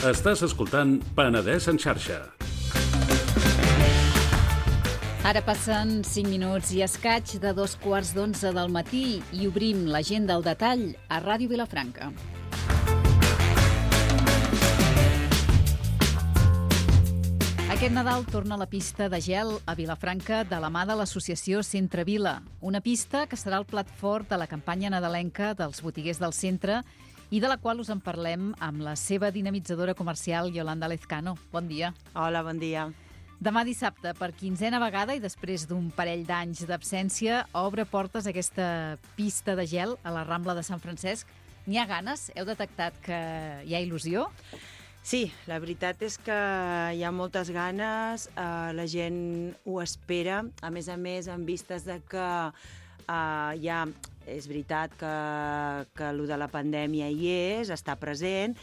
Estàs escoltant Penedès en xarxa. Ara passen 5 minuts i escaig de 2:15 del matí i obrim l'agenda al detall a Ràdio Vilafranca. Aquest Nadal torna la pista de gel a Vilafranca de la mà de l'associació Centre Vila, una pista que serà el plat fort de la campanya nadalenca dels botiguers del centre i de la qual us en parlem amb la seva dinamitzadora comercial, Yolanda Lezcano. Bon dia. Hola, bon dia. Demà dissabte, per 15a vegada i després d'un parell d'anys d'absència, obre portes aquesta pista de gel a la Rambla de Sant Francesc. N'hi ha ganes? Heu detectat que hi ha il·lusió? Sí, la veritat és que hi ha moltes ganes, la gent ho espera, a més, en vistes de que és veritat que allò de la pandèmia hi és, està present,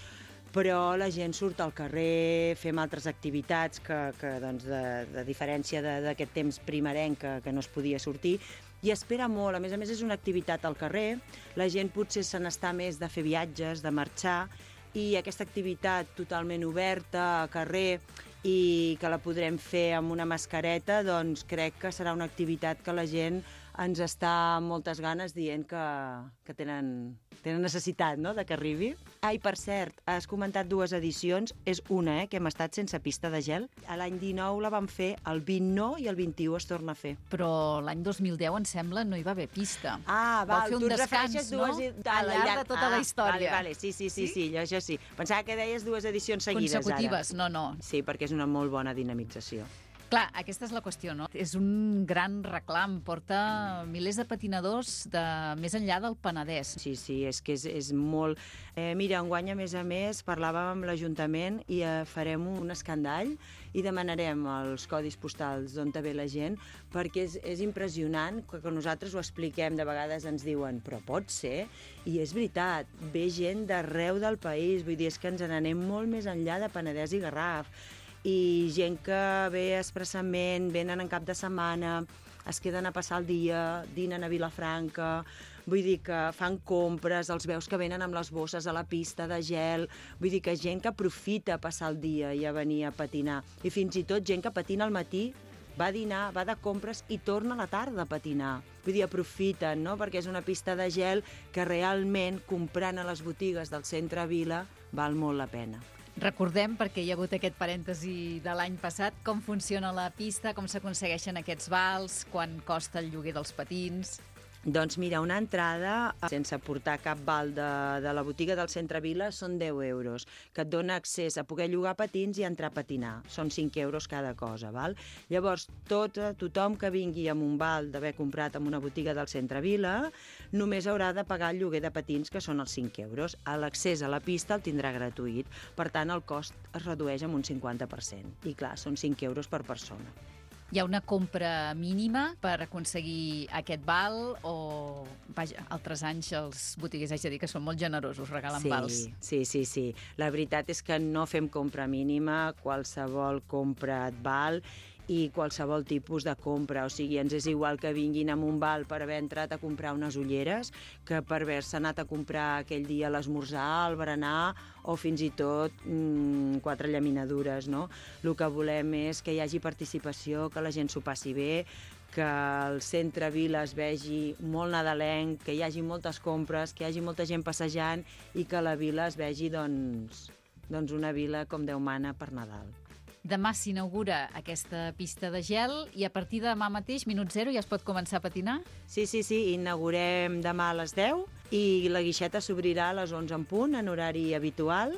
però la gent surt al carrer, fem altres activitats que doncs, de diferència d'aquest temps primerenc que no es podia sortir, i espera molt. A més, és una activitat al carrer, la gent potser se n'està més de fer viatges, de marxar, i aquesta activitat totalment oberta, a carrer, i que la podrem fer amb una mascareta, doncs crec que serà una activitat que la gent ens està amb moltes ganes dient que tenen necessitat, no?, de que arribi. I per cert, has comentat 2 edicions, és una, que hem estat sense pista de gel. A l'any 19 la vam fer, el 20 no i el 21 es torna a fer. Però l'any 2010, em sembla, no hi va haver pista. Ah, val, tu et refereixes no? Al llarg de tota la història. Vale, sí, això sí. Pensava que deies 2 edicions seguides consecutives, ara. No. Sí, perquè és una molt bona dinamització. Clar, aquesta és la qüestió, no? És un gran reclam, porta milers de patinadors de més enllà del Penedès. Sí, és que és molt... Mira, enguany, a més, parlàvem amb l'Ajuntament i farem un escandall i demanarem els codis postals d'on ve la gent, perquè és impressionant que nosaltres ho expliquem, de vegades ens diuen, però pot ser? I és veritat, ve gent d'arreu del país, vull dir, és que ens n'anem molt més enllà de Penedès i Garraf, i gent que ve expressament, venen en cap de setmana, es queden a passar el dia, dinen a Vilafranca, vull dir que fan compres, els veus que venen amb les bosses a la pista de gel, vull dir que gent que aprofita passar el dia i a venir a patinar, i fins i tot gent que patina al matí, va a dinar, va de compres i torna a la tarda a patinar. Vull dir, aprofiten, no?, perquè és una pista de gel que realment, comprant a les botigues del centre Vila, val molt la pena. Recordem, perquè hi ha hagut aquest parèntesi de l'any passat, com funciona la pista, com s'aconsegueixen aquests vals, quan costa el lloguer dels patins. Doncs mira, una entrada sense portar cap val de la botiga del centre Vila són 10 euros, que et dona accés a poder llogar patins i entrar a patinar. Són 5 euros cada cosa, val? Llavors, tothom que vingui amb un val d'haver comprat en una botiga del centre Vila només haurà de pagar el lloguer de patins, que són els 5 euros. L'accés a la pista el tindrà gratuït, per tant, el cost es redueix amb un 50%. I clar, són 5 euros per persona. Hi ha una compra mínima per aconseguir aquest val o, vaja, altres anys els botiguers, haig de dir que són molt generosos, regalen vals. Sí. La veritat és que no fem compra mínima, qualsevol compra et val, i qualsevol tipus de compra. O sigui, ens és igual que vinguin amb un val per haver entrat a comprar unes ulleres que per haver-se anat a comprar aquell dia l'esmorzar, el berenar o fins i tot 4 llaminadures, no? El que volem és que hi hagi participació, que la gent s'ho passi bé, que el centre Vila es vegi molt nadalenc, que hi hagi moltes compres, que hi hagi molta gent passejant i que la vila es vegi doncs una vila com Déu mana per Nadal. Demà s'inaugura aquesta pista de gel i a partir de demà mateix, minut zero, ja es pot començar a patinar? Sí, inaugurem demà a les 10 i la guixeta s'obrirà a les 11 en punt, en horari habitual,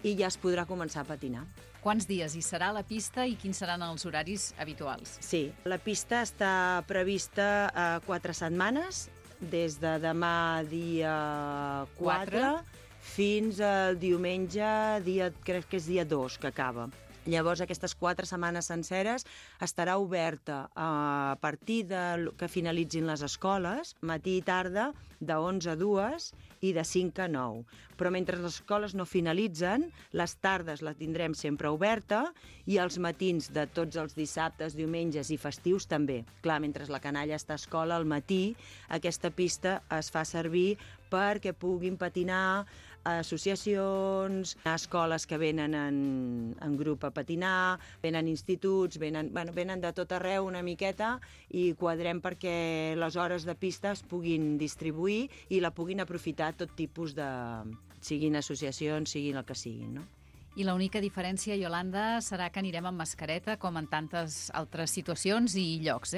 i ja es podrà començar a patinar. Quants dies hi serà la pista i quins seran els horaris habituals? Sí, la pista està prevista a 4 setmanes, des de demà dia 4 fins al diumenge, crec que és dia 2 que acaba. Llavors, aquestes 4 setmanes senceres estarà oberta a partir que finalitzin les escoles, matí i tarda, de 11 a 2 i de 5 a 9. Però mentre les escoles no finalitzen, les tardes la tindrem sempre oberta i els matins de tots els dissabtes, diumenges i festius també. Clar, mentre la canalla està a escola, al matí aquesta pista es fa servir perquè puguin patinar associacions, escoles que venen en grup a patinar, venen instituts, venen de tot arreu una miqueta i quadrem perquè les hores de pista es puguin distribuir i la puguin aprofitar tot tipus de... siguin associacions, siguin el que siguin, no? I l'única diferència, Iolanda, serà que anirem amb mascareta, com en tantes altres situacions i llocs,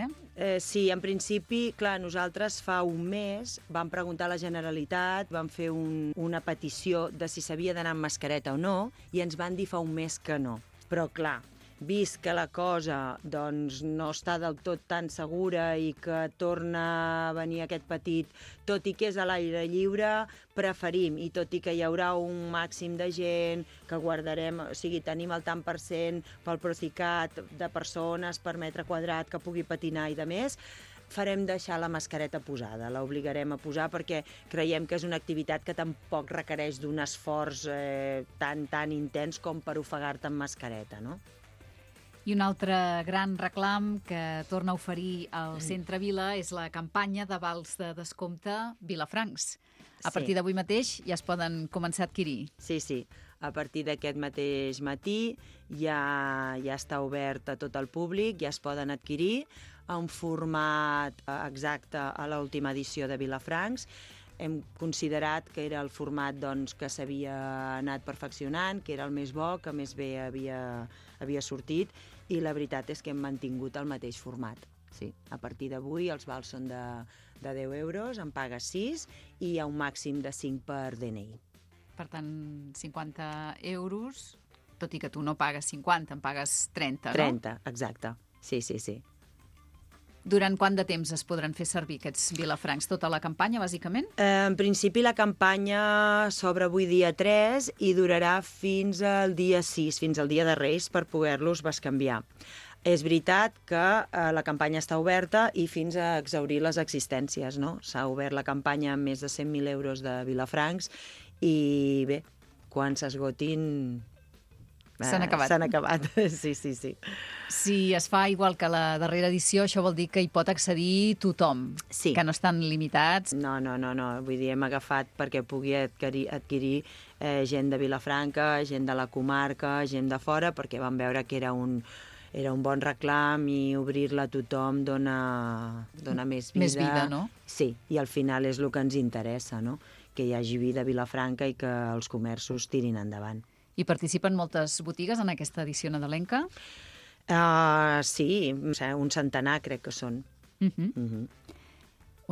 Sí, en principi, clar, nosaltres fa un mes vam preguntar a la Generalitat, vam fer una petició de si s'havia d'anar amb mascareta o no, i ens van dir fa un mes que no. Però, clar, vist que la cosa doncs, no està del tot tan segura i que torna a venir aquest petit, tot i que és a l'aire lliure, preferim, i tot i que hi haurà un màxim de gent, que guardarem, o sigui, tenim el tant per cent pel Procicat de persones per metre quadrat que pugui patinar i de més, farem deixar la mascareta posada, l'obligarem a posar perquè creiem que és una activitat que tampoc requereix d'un esforç tan intens com per ofegar-te amb mascareta, no? I un altre gran reclam que torna a oferir el Centre Vila és la campanya de vals de descompte Vilafrancs. A partir d'avui mateix ja es poden començar a adquirir. Sí. A partir d'aquest mateix matí ja està obert a tot el públic, ja es poden adquirir en format exacte a l'última edició de Vilafrancs. Hem considerat que era el format que s'havia anat perfeccionant, que era el més bo, que més bé havia sortit, i la veritat és que hem mantingut el mateix format. Sí. A partir d'avui els vals són de 10 euros, en pagues 6 i hi ha un màxim de 5 per DNI. Per tant, 50 euros, tot i que tu no pagues 50, en pagues 30, no? 30, exacte. Sí. Durant quant de temps es podran fer servir aquests Vilafrancs? Tota la campanya, bàsicament? En principi, la campanya s'obre avui dia 3 i durarà fins al dia 6, fins al dia de Reis, per poder-los bescanviar. És veritat que la campanya està oberta i fins a exhaurir les existències, no? S'ha obert la campanya amb més de 100.000 euros de Vilafrancs i bé, quan s'esgotin... S'han acabat. S'han acabat, sí. Si es fa igual que la darrera edició, això vol dir que hi pot accedir tothom, sí. Que no estan limitats. No, vull dir, hem agafat perquè pugui adquirir gent de Vilafranca, gent de la comarca, gent de fora, perquè vam veure que era un bon reclam i obrir-la a tothom dona més vida. Més vida, no? Sí, i al final és el que ens interessa, no? Que hi hagi vida a Vilafranca i que els comerços tirin endavant. I participen moltes botigues en aquesta edició nadalenca? Sí, un centenar crec que són.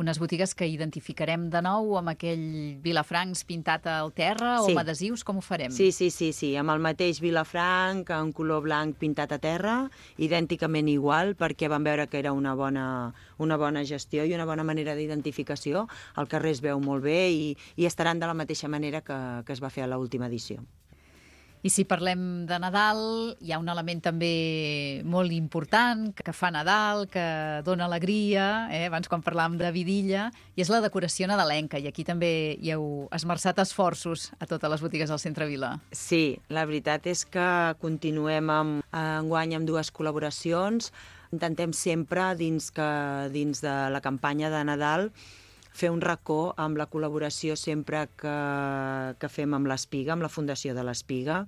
Unes botigues que identificarem de nou amb aquell Vilafrancs pintat al terra o amb adhesius, com ho farem? Sí, amb el mateix Vilafranc, en color blanc pintat a terra, idènticament igual, perquè vam veure que era una bona gestió i una bona manera d'identificació. El carrer es veu molt bé i estaran de la mateixa manera que es va fer a l'última edició. I si parlem de Nadal, hi ha un element també molt important que fa Nadal, que dona alegria, abans quan parlàvem de vidilla, i és la decoració nadalenca, i aquí també hi heu esmerçat esforços a totes les botigues del Centre Vila. Sí, la veritat és que continuem enguany amb 2 col·laboracions. Intentem sempre, dins de la campanya de Nadal, fer un racó amb la col·laboració sempre que fem amb l'Espiga, amb la Fundació de l'Espiga.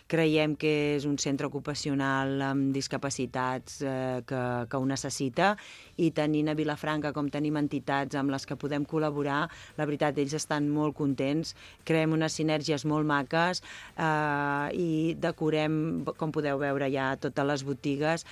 Creiem que és un centre ocupacional amb discapacitats que ho necessita i tenint a Vilafranca com tenim entitats amb les que podem col·laborar, la veritat, ells estan molt contents, creem unes sinergies molt maques i decorem, com podeu veure ja, totes les botigues.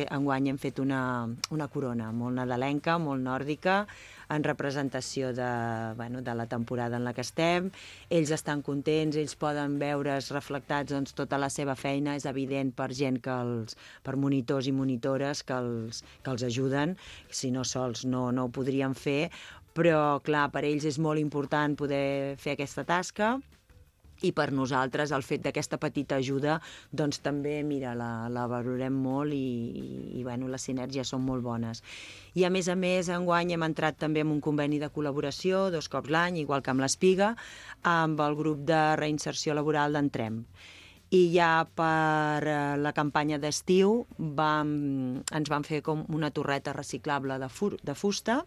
Enguany hem fet una corona molt nadalenca, molt nòrdica, en representació de la temporada en la que estem. Ells estan contents, ells poden veure's reflectats tota la seva feina, és evident per gent per monitors i monitores que els ajuden, si no sols no ho podrien fer, però clar, per ells és molt important poder fer aquesta tasca. I per nosaltres el fet d'aquesta petita ajuda doncs també, mira, la valorem molt i les sinergies són molt bones. I a més, enguany hem entrat també en un conveni de col·laboració 2 cops l'any, igual que amb l'Espiga, amb el grup de reinserció laboral d'Entrem. i ja per la campanya d'estiu ens van fer com una torreta reciclable de fusta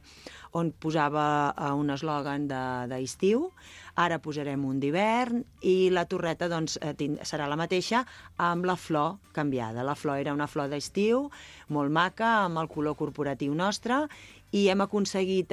on posava un eslògan d'estiu. Ara posarem un d'hivern i la torreta doncs, serà la mateixa amb la flor canviada. La flor era una flor d'estiu, molt maca, amb el color corporatiu nostre, i hem aconseguit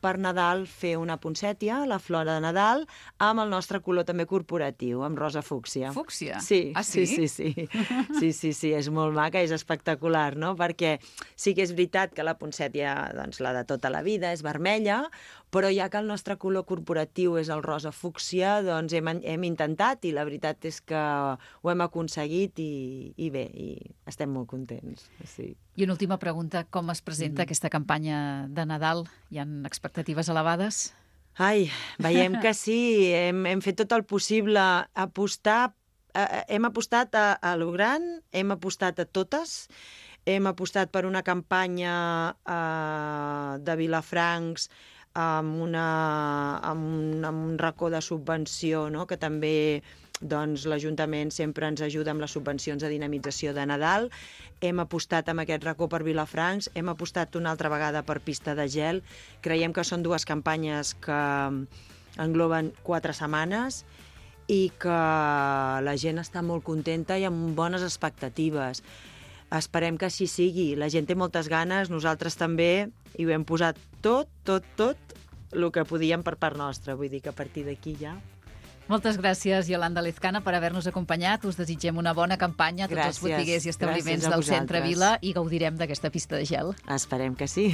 per Nadal fer una poncètia, la flor de Nadal, amb el nostre color també corporatiu, amb rosa fúcsia. Fúcsia? Sí, Ah, sí? Sí, és molt maca, és espectacular, no? Perquè sí que és veritat que la poncètia, doncs, la de tota la vida, és vermella, però ja que el nostre color corporatiu és el rosa fúcsia, doncs hem intentat i la veritat és que ho hem aconseguit i bé, i estem molt contents. Sí. I una última pregunta, com es presenta aquesta campanya de Nadal? Hi ha expectatives elevades? Ai, veiem que sí, hem fet tot el possible, hem apostat a lo gran, hem apostat a totes, hem apostat per una campanya de Vilafrancs amb un racó de subvenció, no? Que també doncs, l'Ajuntament sempre ens ajuda amb les subvencions de dinamització de Nadal. Hem apostat amb aquest racó per Vilafrancs, hem apostat una altra vegada per Pista de Gel. Creiem que són dues campanyes que engloben 4 setmanes i que la gent està molt contenta i amb bones expectatives. Esperem que així sigui. La gent té moltes ganes, nosaltres també, i ho hem posat tot el que podíem per part nostra. Vull dir que a partir d'aquí ja... Moltes gràcies, Iolanda Lezcana, per haver-nos acompanyat. Us desitgem una bona campanya a tots els botiguers i establiments del centre Vila i gaudirem d'aquesta pista de gel. Esperem que sí.